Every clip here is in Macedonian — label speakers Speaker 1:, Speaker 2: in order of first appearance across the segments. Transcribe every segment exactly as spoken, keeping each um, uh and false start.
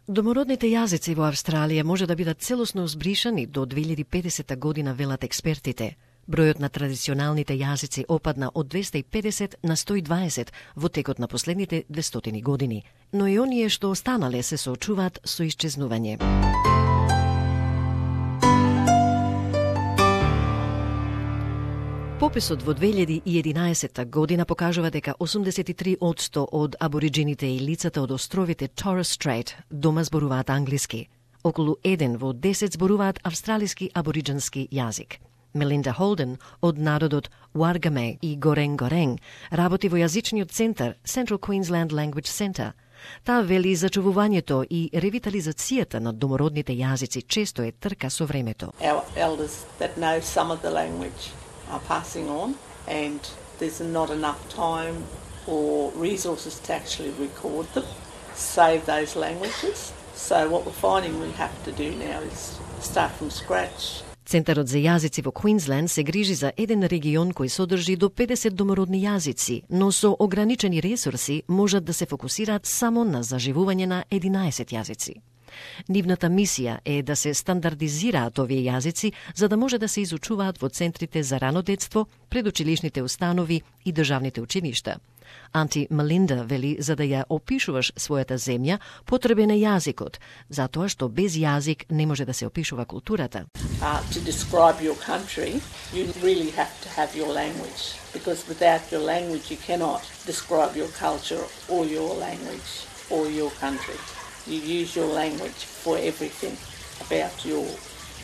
Speaker 1: Домородните јазици во Австралија може да бидат целосно збришани до две илјади и педесета година, велат експертите. Бројот на традиционалните јазици опадна од двеста и педесет на сто и дваесет во текот на последните двестотини години, но и оние што останале се соочуваат со исчезнување. Пописот во две илјади и единаесетта година покажува дека осумдесет и три одсто од абориджините и лицата од островите Torres Strait дома зборуваат англиски. Околу еден во десет зборуваат австралиски абориджински јазик. Мелинда Холден од народот Уаргаме и Горен-Горен работи во јазичниот центар Central Queensland Language Centre. Таа вели зачувувањето и ревитализацијата на домородните јазици често е трка со времето.
Speaker 2: Our elders that know some of the language are passing on, and there's not enough time or resources to actually record them, save those languages. So what we're finding we have to do now is start from scratch.
Speaker 1: Центарот за јазици во Квинсленд се грижи за еден регион кој содржи до педесет домородни јазици, но со ограничени ресурси можат да се фокусираат само на заживување на единаесет јазици. Нивната мисија е да се стандардизираат овие јазици за да може да се изучуваат во центрите за рано детство, предучилишните установи и државните училишта. Анти Мелинда вели за да ја опишуваш својата земја, потребен е јазикот, затоа што без јазик не може да се опишува културата.
Speaker 2: Uh, to describe your country, you really have to have your language, because without your language you cannot describe your culture or your language or your country. You use your language for everything about your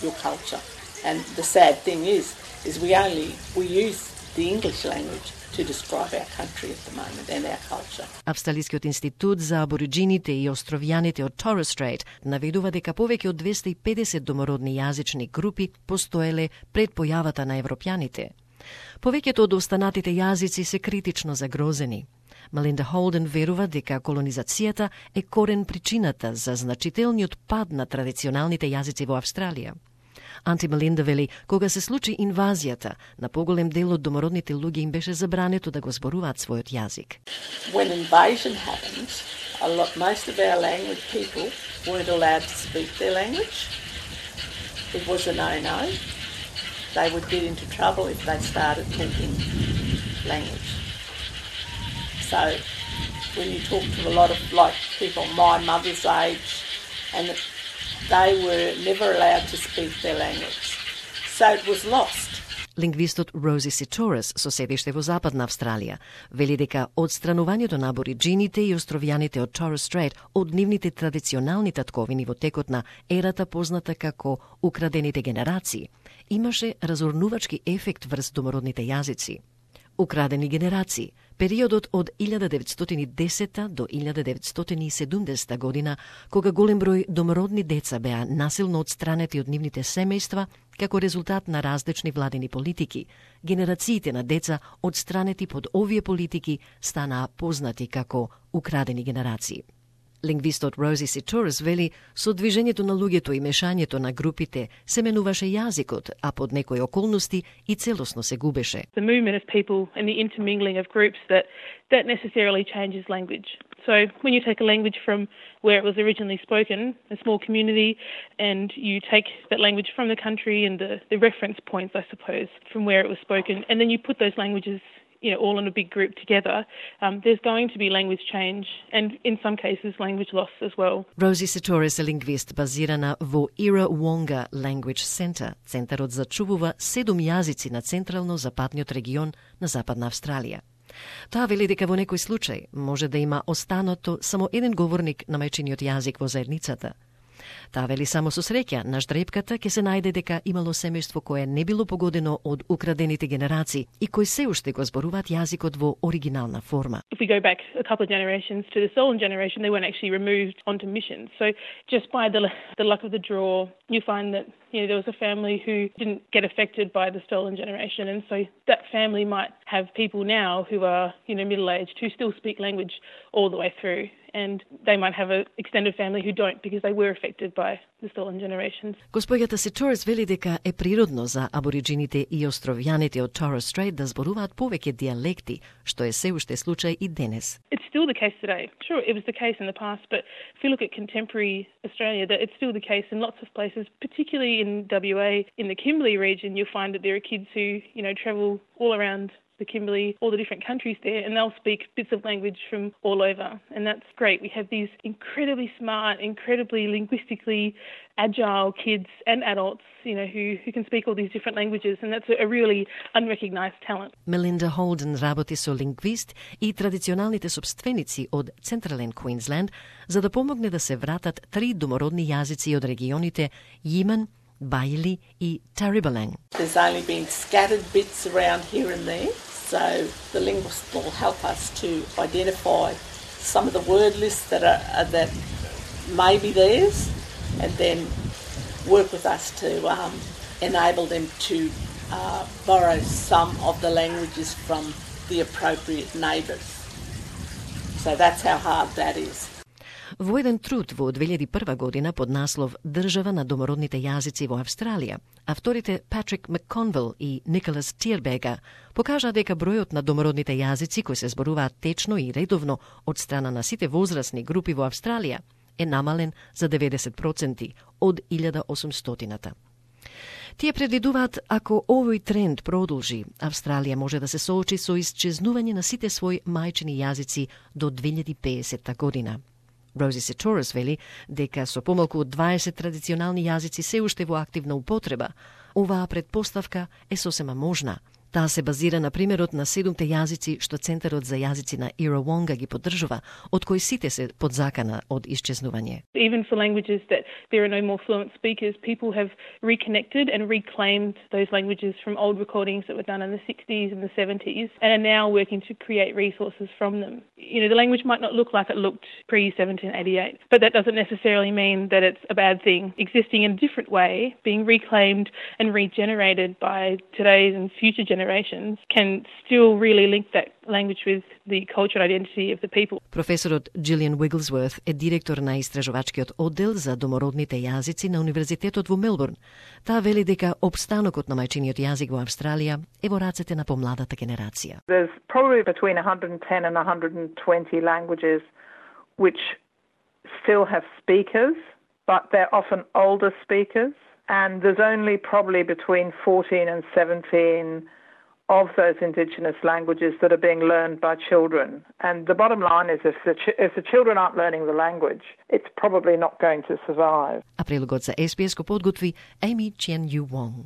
Speaker 2: your culture. And the sad thing is, is we only we use the English language to describe our country at the moment and our culture.
Speaker 1: Австралискиот институт за абориджините и островјаните од Torres Strait наведува дека повеќе од двеста и педесет домородни јазични групи постоеле пред појавата на европјаните. Повеќето од останатите јазици се критично загрозени. Мелинда Холден верува дека колонизацијата е корен причината за значителниот пад на традиционалните јазици во Австралија. Анти Мелинда вели, кога се случи инвазијата, на поголем дел од домородните луѓе им беше забрането да го зборуваат својот јазик.
Speaker 2: When invasion happened, a lot, most of our language people weren't allowed to speak their language. It was a no-no. They would get into trouble if they started talking language. So when you talk to a lot of like people my mother's age, and they were never allowed to speak their language. So it was lost.
Speaker 1: Лингвистот Рози Ситорес, со седиште во Западна Австралија, вели дека одстранувањето на абориджините и островјаните од Torres Strait од нивните традиционални татковини во текот на ерата позната како украдените генерации, имаше разорнувачки ефект врз домородните јазици. Украдени генерации. Периодот од илјада деветстотини и десета до илјада деветстотини и седумдесета година, кога голем број домородни деца беа насилно отстранети од нивните семејства како резултат на различни владени политики, генерациите на деца отстранети под овие политики станаа познати како украдени генерации. Лингвистот Рози Ситорес вели, со движењето на луѓето и мешањето на групите се менуваше јазикот, а под некои околности и целосно се губеше.
Speaker 3: The movement of people and the intermingling of groups that that necessarily changes language. So when you take a language from where it was originally spoken, a small community, and you take that language from the country and the, the reference points, I suppose, from where it was spoken, and then you put those languages, you know, all in a big group together, um, there's going to be language change and, in some cases, language loss as well.
Speaker 1: Рози Ситорес е лингвист базирана во Ира-Вонга Language Center. Центарот зачувува седум јазици на централно-западниот регион на Западна Австралија. Таа вели дека во некој случај може да има останато само еден говорник на мајчиниот јазик во заедницата. Таа вели само со среќа на ждрепката ќе се најде дека имало семејство кое не било погодено од украдените генерации и кои се уште го зборуваат јазикот во оригинална форма.
Speaker 3: If we go back a couple of generations to the stolen generation, they weren't actually removed onto missions. So just by the the luck of the draw, you find that, you know, there was a family who didn't get affected by the stolen generation, and so that family might have people now who are, you know, middle-aged who still speak language all the way through. and they might have an extended family who don't because they were affected by the stolen generations.
Speaker 1: Госпоѓата Ситорес вели дека е природно за абориджините и островјаните од Torres Strait да зборуваат повеќе дијалекти, што е се уште случај и денес.
Speaker 3: It's still the case today. Sure, it was the case in the past, but if you look at contemporary Australia, that it's still the case in lots of places, particularly in W A, in the Kimberley region. You'll find that there are kids who, you know, travel all around the Kimberley, all the different countries there, and they'll speak bits of language from all over, and that's great. We have these incredibly smart, incredibly linguistically agile kids and adults, you know, who, who can speak all these different languages, and that's a, a really unrecognised talent.
Speaker 1: Мелинда Холден работи со лингвист и традиционалните собственици од Централен Квинсленд за да помогне да се вратат три домородни јазици од регионите Yiman, Bailey и Taribellang.
Speaker 2: There's only been scattered bits around here and there, so the linguist will help us to identify some of the word lists that are uh, that may be theirs, and then work with us to um, enable them to uh, borrow some of the languages from the appropriate neighbours. So that's how hard that is.
Speaker 1: Во еден труд во две илјади и прва година под наслов Држава на домородните јазици во Австралија, авторите Патрик Макконвел и Николас Тирбега покажаа дека бројот на домородните јазици кои се зборуваат течно и редовно од страна на сите возрастни групи во Австралија е намален за деветдесет проценти од илјада осумстотината. Тие предвидуваат ако овој тренд продолжи, Австралија може да се соочи со исчезнување на сите своји мајчини јазици до две илјади и педесета година. Рози Ситорес вели дека со помалку од дваесет традиционални јазици се уште во активна употреба, оваа предпоставка е сосема можна. Таа се базира на примерот на седумте јазици што Центарот за јазици на Иравонга ги поддржува, од кои сите се под закана од исчезнување.
Speaker 3: Even for languages that there are no more fluent speakers, people have reconnected and reclaimed those languages from old recordings that were done in the sixties and the seventies and are now working to create resources from them. You know, the language might not look like it looked pre seventeen eighty-eight, but that doesn't necessarily mean that it's a bad thing. Existing in a different way, being reclaimed and regenerated by today's and future generations generations can still really link that language with the culture and identity of the people.
Speaker 1: Професорот Джилијан Wigglesworth е директор на истражувачкиот оддел за домородните јазици на Универзитетот во Мелбурн. Таа вели дека опстанокот на мајчиниот јазик во Австралија е во рацете на помладата генерација.
Speaker 4: There's probably between one hundred ten and one hundred twenty languages which still have speakers, but they're often older speakers, and there's only probably between fourteen and seventeen of those Indigenous languages that are being learned by children. And the bottom line is if the, ch- if the children aren't learning the language, it's probably not going to survive.
Speaker 1: А прилогот за Ес Би Ес го подготви Amy Chen Yu Wong.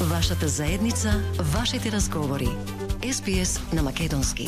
Speaker 1: Вашата заедница, вашите разговори. Ес Би Ес на македонски.